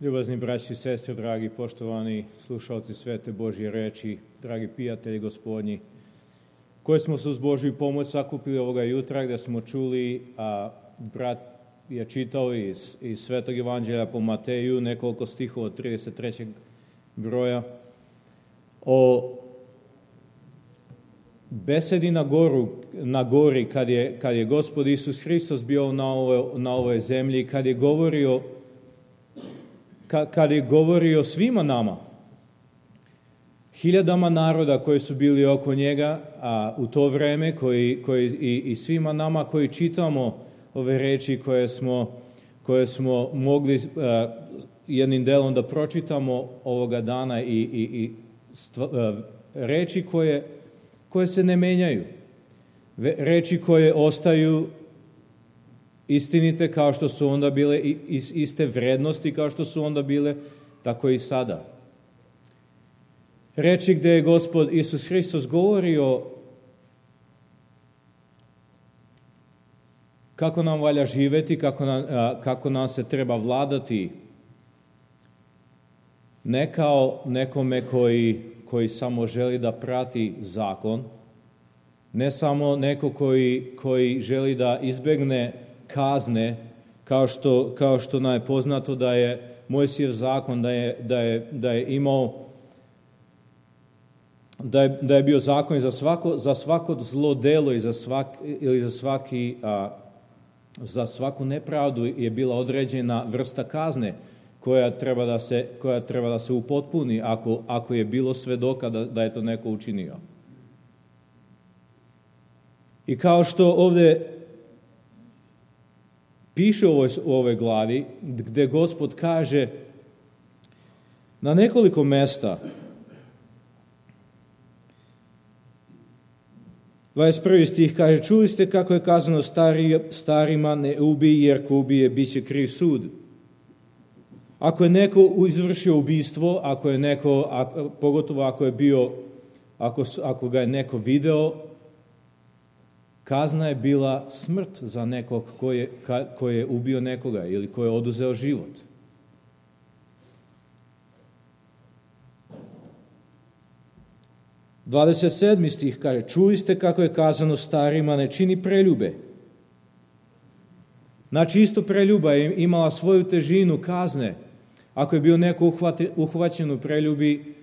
Ljubazni braći i sestre, dragi poštovani slušalci svete Božje reči, dragi prijatelji gospodnji, koji smo se uz Božju pomoć sakupili ovoga jutra, gdje smo čuli, a brat je čitao iz Svetog Evanđelja po Mateju nekoliko stihova od 33. broja o besedi na gori kad je Gospod Isus Hristos bio na ovoj zemlji, kad je govorio svima nama, hiljadama naroda koji su bili oko njega, a u to vreme i svima nama koji čitamo ove reči koje smo mogli jednim delom da pročitamo ovoga dana i reči koje se ne menjaju, reči koje ostaju istinite kao što su onda bile, iste vrednosti kao što su onda bile, tako i sada. Reči gdje je Gospod Isus Hristos govorio kako nam valja živjeti, kako nam se treba vladati, ne kao nekome koji samo želi da prati zakon, ne samo neko koji želi da izbegne kazne, kao što nam je poznato da je Mojsijev zakon, da je imao, da je bio zakon za svako zlo delo i za svaku nepravdu je bila određena vrsta kazne koja treba da se upotpuni ako je bilo svedoka da je to neko učinio. I kao što ovdje piše u ovoj glavi, gdje Gospod kaže na nekoliko mesta, 21. stih kaže, čuli ste kako je kazano starima ne ubij, jer ko ubije bit će kriv sud. Ako je neko izvršio ubistvo, pogotovo ako ga je neko video, kazna je bila smrt za nekog ko je ubio nekoga ili ko je oduzeo život. – 27. stih kaže, čuli ste kako je kazano starima ne čini preljube. Znači isto preljuba je imala svoju težinu kazne. Ako je bio neko uhvaćen u preljubi,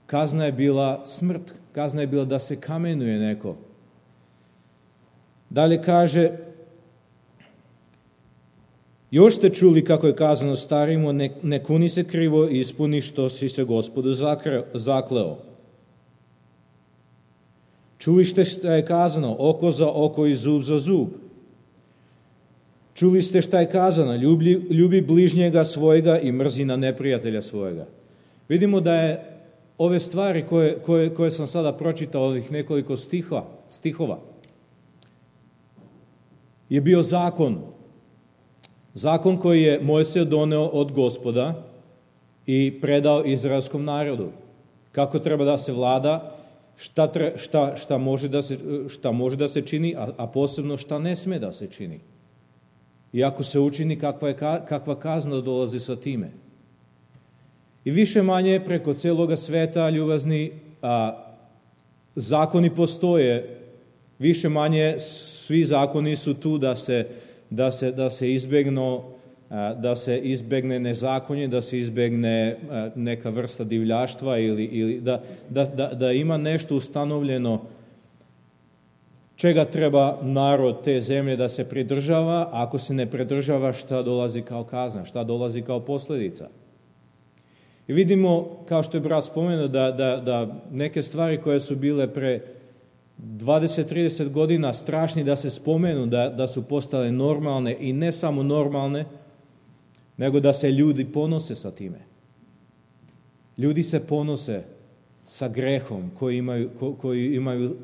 kazna je bila smrt, kazna je bila da se kamenuje neko. Dalje kaže, još ste čuli kako je kazano starima, ne kuni se krivo i ispuni što si se Gospodu zakleo. Čuli ste šta je kazano, oko za oko i zub za zub. Čuli ste šta je kazano, ljubi bližnjega svojega i mrzi na neprijatelja svojega. Vidimo da je ove stvari koje sam sada pročitao, ovih nekoliko stihova, je bio zakon. Zakon koji je Mojsije doneo od Gospoda i predao izraelskom narodu. Kako treba da se vlada, šta može da se čini, a posebno šta ne sme da se čini. I ako se učini, kakva kazna dolazi sa time. I više manje preko celoga sveta, ljubazni, zakoni postoje. Više manje svi zakoni su tu da se izbegne nezakonje, da se izbegne neka vrsta divljaštva ili da ima nešto ustanovljeno čega treba narod te zemlje da se pridržava. Ako se ne pridržava, šta dolazi kao kazna, šta dolazi kao posljedica. I vidimo, kao što je brat spomenuo, da neke stvari koje su bile pre 20-30 godina strašni da se spomenu, da su postale normalne i ne samo normalne, nego da se ljudi ponose sa time. Ljudi se ponose sa grehom koji imaju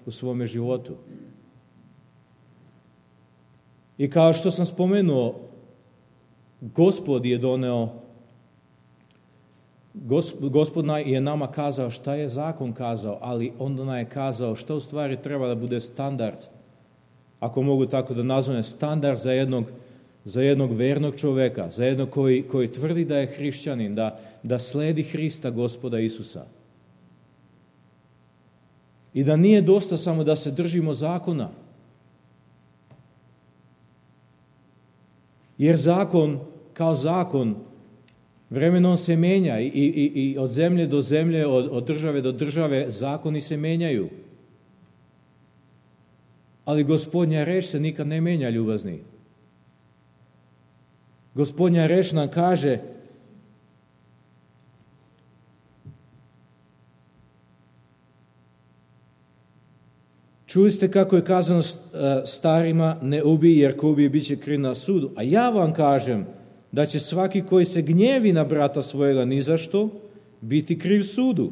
u svome životu. I kao što sam spomenuo, Gospod je doneo, Gospod je nama kazao šta je zakon kazao, ali onda nam je kazao šta u stvari treba da bude standard, ako mogu tako da nazovem, standard za jednog za jednog vernog čoveka, za jednog koji tvrdi da je hrišćanin, da sledi Hrista, Gospoda Isusa. I da nije dosta samo da se držimo zakona. Jer zakon, kao zakon, vremenom se menja i od zemlje do zemlje, od države do države, zakoni se menjaju. Ali Gospodnja reč se nikad ne menja, ljubazni. Gospodnja reč nam kaže čuli ste kako je kazano starima, ne ubij, jer ko ubije bit će kriv na sudu. A ja vam kažem da će svaki koji se gnjevi na brata svojega ni za što biti kriv sudu.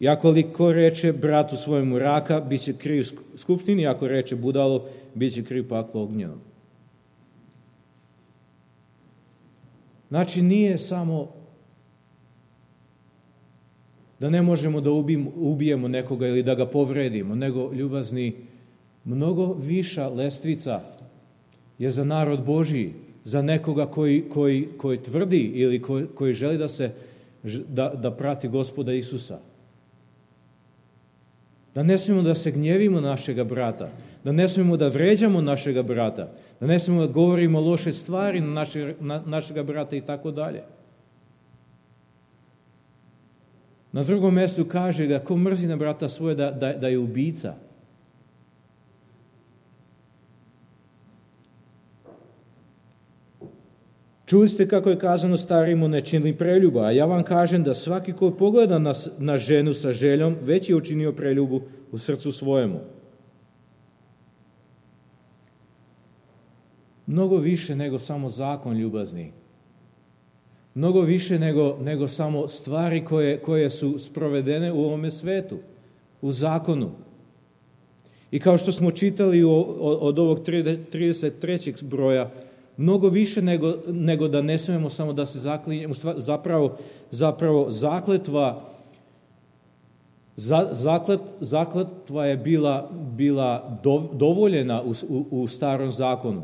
I ako li ko reče bratu svojemu raka, bit će kriv skupštini, ako reče budalo, bit će kriv paklo ognjenom. Znači, nije samo da ne možemo da ubijemo nekoga ili da ga povredimo, nego, ljubazni, mnogo viša lestvica je za narod Božji, za nekoga koji tvrdi ili koji želi da prati Gospoda Isusa. Da ne smijemo da se gnjevimo našega brata, da ne smijemo da vređamo našega brata, da ne smijemo da govorimo loše stvari na našega brata i tako dalje. Na drugom mjestu kaže da ko mrzi na brata svoje da je ubica. Čuli ste kako je kazano starimo ne čini preljuba, a ja vam kažem da svaki ko pogleda na ženu sa željom, već je učinio preljubu u srcu svojemu. Mnogo više nego samo zakon, ljubazni. Mnogo više nego samo stvari koje su sprovedene u ovome svetu, u zakonu. I kao što smo čitali od ovog 33. broja, mnogo više nego da ne smijemo samo da se zaklinjemo. Zapravo zakletva je bila dovoljena u starom zakonu,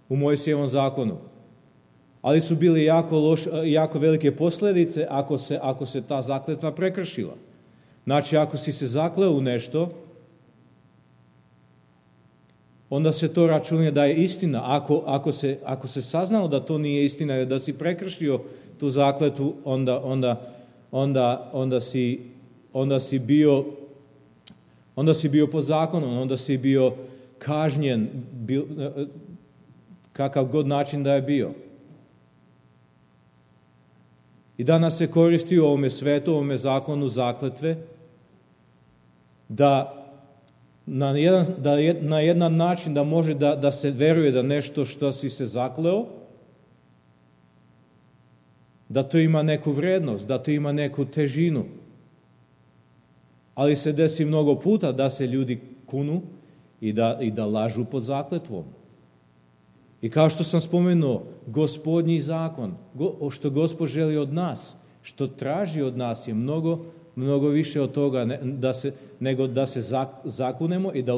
u Mojsijevom zakonu. Ali su bile jako velike posljedice ako se ta zakletva prekršila. Znači, ako si se zakleo u nešto, onda se to računa da je istina. Ako se saznalo da to nije istina, da si prekršio tu zakletvu, onda si bio pod zakonom, onda si bio kažnjen, kakav god način da je bio. I danas se koristi u ovome svetu, u ovome zakonu zakletve, da na jedan način da može da se veruje da nešto što si se zakleo, da to ima neku vrednost, da to ima neku težinu. Ali se desi mnogo puta da se ljudi kunu i da lažu pod zakletvom. I kao što sam spomenuo, Gospodnji zakon, što Gospod želi od nas, što traži od nas je mnogo više od toga nego da se zakunemo i da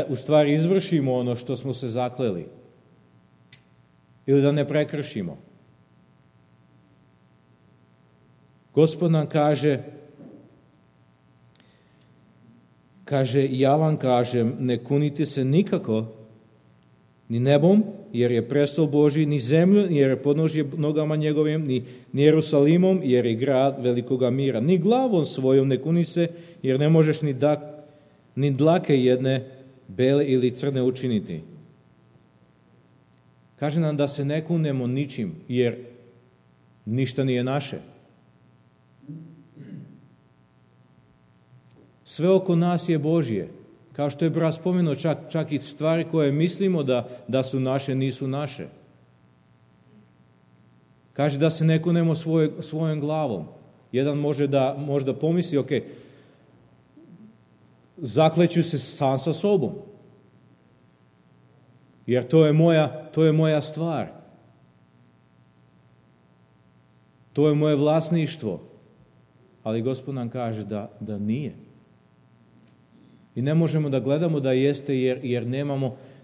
u stvari izvršimo ono što smo se zakleli. Ili da ne prekršimo. Gospod nam kaže, ja vam kažem, ne kunite se nikako, ni nebom, jer je prestol Božji, ni zemlju, jer je podnožje nogama njegovim, ni Jerusalimom, jer je grad velikoga mira. Ni glavom svojom ne kuni se, jer ne možeš ni dlake jedne bele ili crne učiniti. Kaže nam da se ne kunemo ničim, jer ništa nije naše. Sve oko nas je Božje. Kao što je brat spomenuo, čak i stvari koje mislimo da su naše, nisu naše. Kaže da se ne kunemo svojom glavom. Jedan može da možda pomisli, ok, zakleću se sam sa sobom. Jer to je moja stvar. To je moje vlasništvo. Ali Gospod nam kaže da nije. I ne možemo da gledamo da jeste jer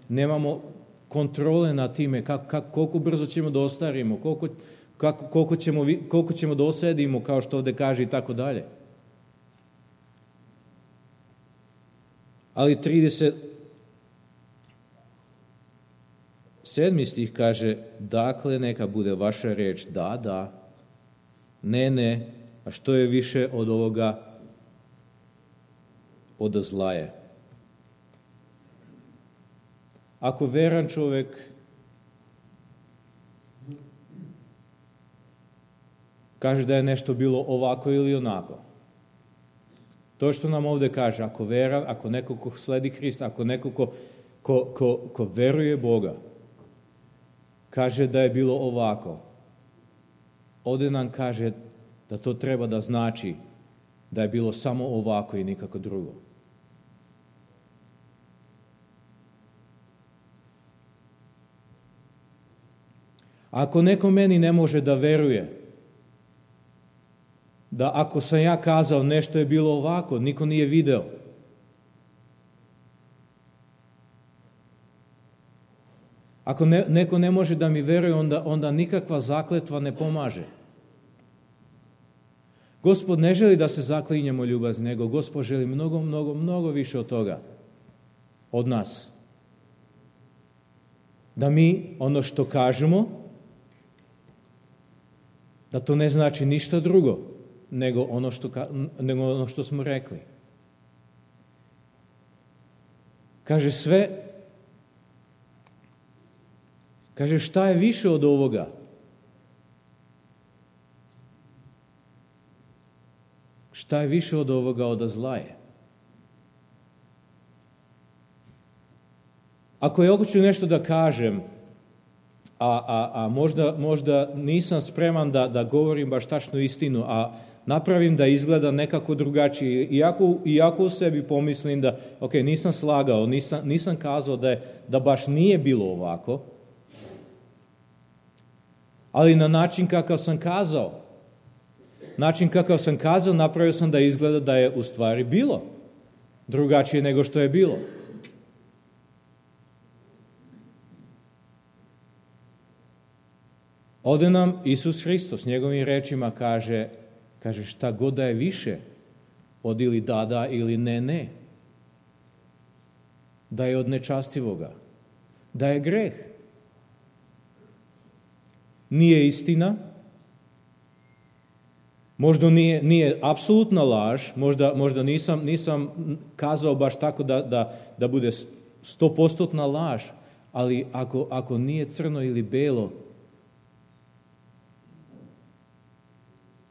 nemamo kontrole nad time koliko brzo ćemo da ostarimo, koliko ćemo da osedimo, kao što ovdje kaže, i tako dalje. Ali 37. stih kaže, dakle neka bude vaša reč da, da, ne, ne, a što je više od ovoga, od zla je. Ako veran čovjek kaže da je nešto bilo ovako ili onako, to što nam ovdje kaže, ako veran, ako neko ko sledi Hrista, ako neko ko veruje Boga, kaže da je bilo ovako, ovdje nam kaže da to treba da znači da je bilo samo ovako i nikako drugo. Ako neko meni ne može da veruje, da ako sam ja kazao nešto je bilo ovako, niko nije video, ako neko ne može da mi veruje, onda nikakva zakletva ne pomaže. Gospod ne želi da se zaklinjemo ljubazni, nego Gospod želi mnogo, mnogo, mnogo više od toga, od nas. Da mi ono što kažemo, da to ne znači ništa drugo nego ono što smo rekli. Kaže sve, kaže šta je više od ovoga? Šta je više od ovoga, od zla je? Ako ja hoću nešto da kažem, a možda nisam spreman da govorim baš tačnu istinu, a napravim da izgleda nekako drugačije, iako u sebi pomislim da, ok, nisam slagao, nisam kazao da baš nije bilo ovako, ali na način kakav sam kazao, napravio sam da izgleda da je u stvari bilo drugačije nego što je bilo. Ovdje nam Isus Hristos njegovim rečima kaže šta god da je više od ili da ili ne, da je od nečastivoga, da je greh. Nije istina, možda nije apsolutna laž, možda nisam kazao baš tako da bude 100% laž, ali ako nije crno ili belo,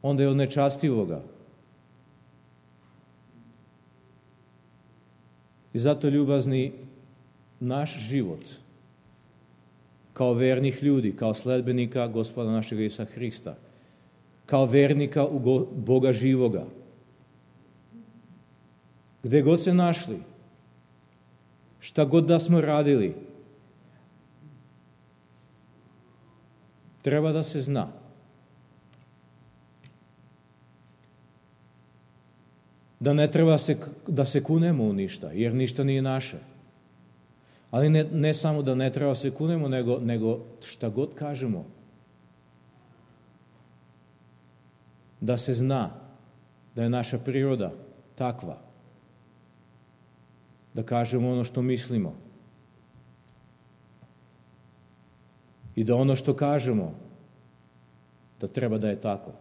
onda je od nečastivoga. I zato, ljubazni, naš život kao vernih ljudi, kao sledbenika Gospoda našega Isusa Hrista, kao vernika u Boga živoga, gdje god se našli, šta god da smo radili, treba da se zna da ne treba da se kunemo u ništa, jer ništa nije naše. Ali ne samo da ne treba se kunemo, nego šta god kažemo, da se zna da je naša priroda takva, da kažemo ono što mislimo i da ono što kažemo da treba da je tako.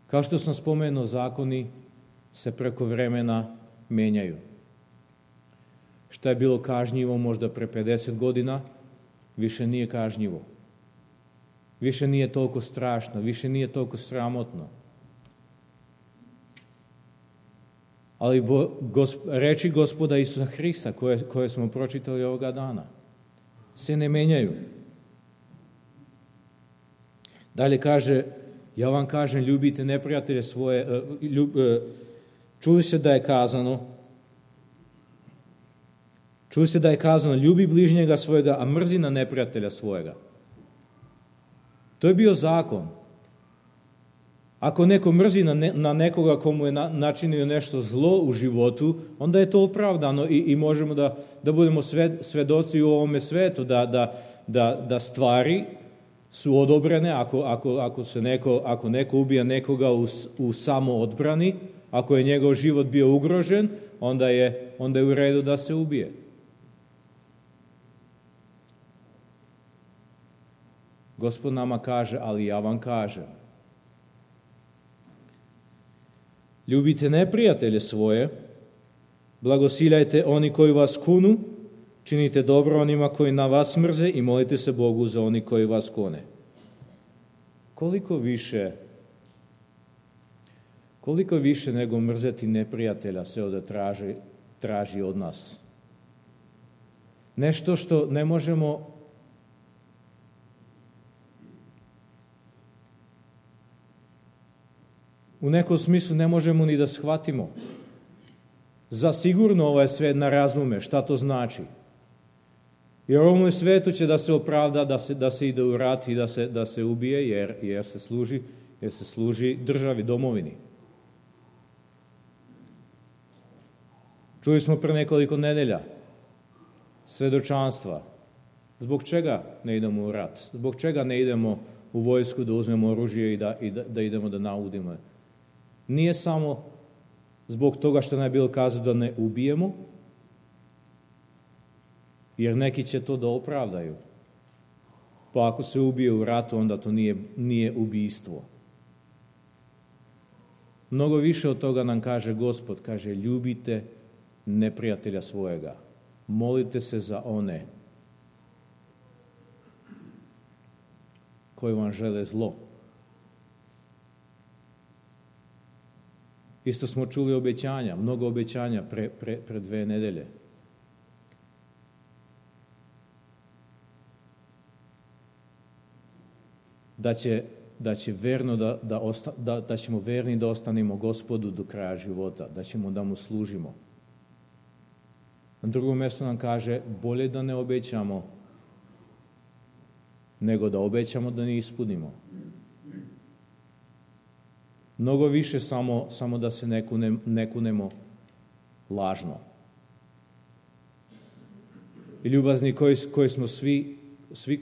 Kao što sam spomenuo, zakoni se preko vremena menjaju. Šta je bilo kažnjivo možda pre 50 godina, više nije kažnjivo. Više nije toliko strašno, više nije toliko sramotno. Ali reči Gospoda Isusa Hrista, koje smo pročitali ovoga dana, se ne menjaju. Dalje kaže, ja vam kažem, ljubite neprijatelje svoje, čuli se da je kazano, ljubi bližnjega svojega, a mrzi na neprijatelja svojega. To je bio zakon. Ako neko mrzi na nekoga komu je načinio nešto zlo u životu, onda je to opravdano i možemo da budemo svedoci u ovome svetu, da stvari su odobrene ako neko ubija nekoga u samoodbrani, ako je njegov život bio ugrožen, onda je u redu da se ubije. Gospod nama kaže, ali ja vam kažem. Ljubite neprijatelje svoje, blagosiljajte oni koji vas kunu, činite dobro onima koji na vas mrze i molite se Bogu za oni koji vas kune. Koliko više nego mrzeti neprijatelja se ovdje traži od nas. Nešto što ne možemo u nekom smislu ne možemo ni da shvatimo. Zasigurno ovaj svet ne razume šta to znači. Jer u ovom svetu će da se opravda, da se ide u rat i da se ubije jer se služi državi, domovini. Čuli smo pre nekoliko nedelja svedočanstva. Zbog čega ne idemo u rat? Zbog čega ne idemo u vojsku da uzmemo oružje i da idemo da naudimo? Nije samo zbog toga što nam je bilo kazano da ne ubijemo, jer neki će to da opravdaju. Pa ako se ubije u ratu, onda to nije ubijstvo. Mnogo više od toga nam kaže Gospod, kaže ljubite neprijatelja svojega. Molite se za one koji vam žele zlo. Isto smo čuli obećanja, mnogo obećanja pre 2 nedelje. Da ćemo verni da ostanemo Gospodu do kraja života, da ćemo da mu služimo. Na drugom mjestu nam kaže, bolje da ne obećamo, nego da obećamo da ne ispunimo. Mnogo više samo da se ne kunemo lažno. I ljubazni koji smo svi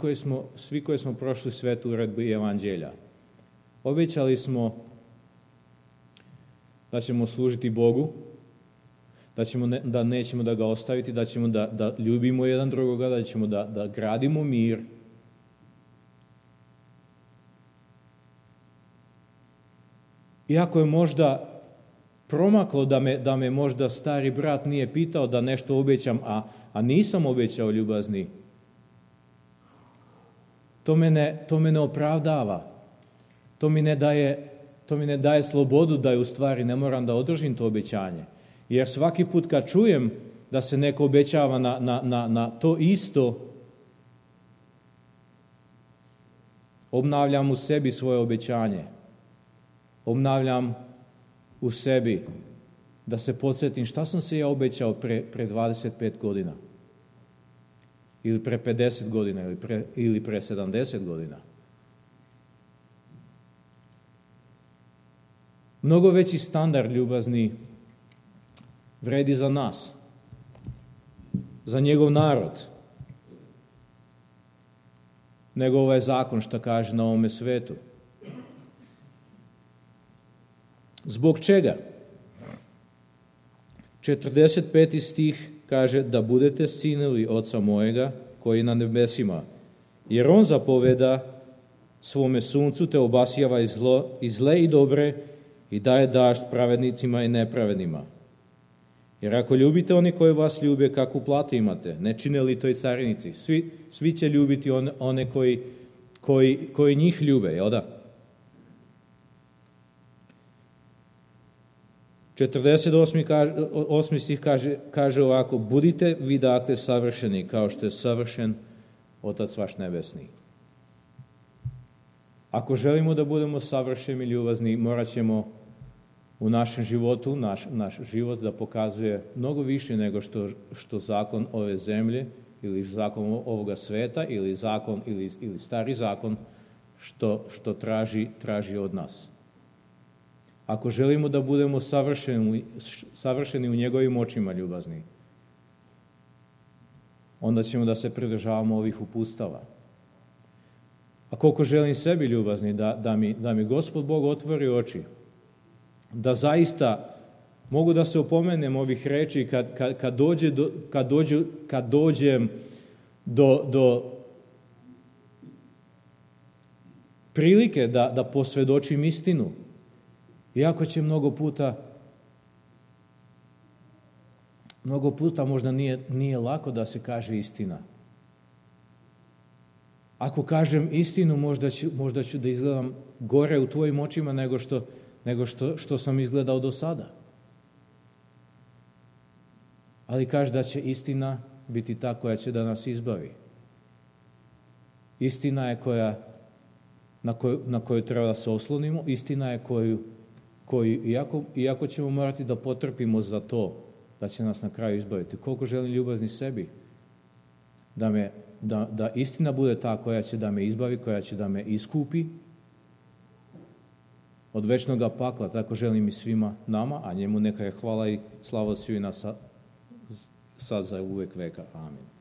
koji smo prošli svetu uredbu i evanđelja. Obećali smo da ćemo služiti Bogu, da nećemo da ga ostaviti, da ćemo da ljubimo jedan drugoga, da ćemo da gradimo mir. Iako je možda promaklo da me možda stari brat nije pitao da nešto obećam, a nisam obećao ljubazni, to me ne opravdava. To mi ne daje slobodu da je u stvari ne moram da održim to obećanje. Jer svaki put kad čujem da se neko obećava na to isto, obnavljam u sebi svoje obećanje. Obnavljam u sebi da se podsjetim šta sam se ja obećao pre 25 godina. Ili pre 50 godina, ili pre 70 godina. Mnogo veći standard ljubazni vredi za nas, za njegov narod, nego ovaj zakon što kaže na ovome svetu. Zbog čega? 45. stih kaže da budete sinovi Oca mojega koji je na nebesima, jer on zapoveda svome suncu te obasjava i zle i dobre i daje dažd pravednicima i nepravednima. Jer ako ljubite oni koji vas ljube, kakvu platu imate? Ne čine li to i carinici? Svi će ljubiti one koji njih ljube, jel da? 48. stih kaže ovako, budite vi dakle savršeni kao što je savršen Otac vaš nebesni. Ako želimo da budemo savršeni i ljubazni, morat ćemo u našem životu, naš život da pokazuje mnogo više nego što zakon ove zemlje ili zakon ovoga sveta ili zakon ili stari zakon što traži od nas. ako želimo da budemo savršeni u njegovim očima, ljubazni, onda ćemo da se pridržavamo ovih uputstava. A koliko želim sebi, ljubazni, da mi Gospod Bog otvori oči, da zaista mogu da se opomenem ovih reči kad dođem do prilike da posvjedočim istinu. Iako će mnogo puta možda nije lako da se kaže istina. Ako kažem istinu, možda ću da izgledam gore u tvojim očima nego što sam izgledao do sada. Ali kaže da će istina biti ta koja će da nas izbavi. Istina je na koju treba da se oslonimo, istina je koju iako ćemo morati da potrpimo za to, da će nas na kraju izbaviti. Koliko želim ljubazni sebi, da istina bude ta koja će da me izbavi, koja će da me iskupi od večnog pakla, tako želim i svima nama, a njemu neka je hvala i slava Otcu i na sad za uvek veka. Amin.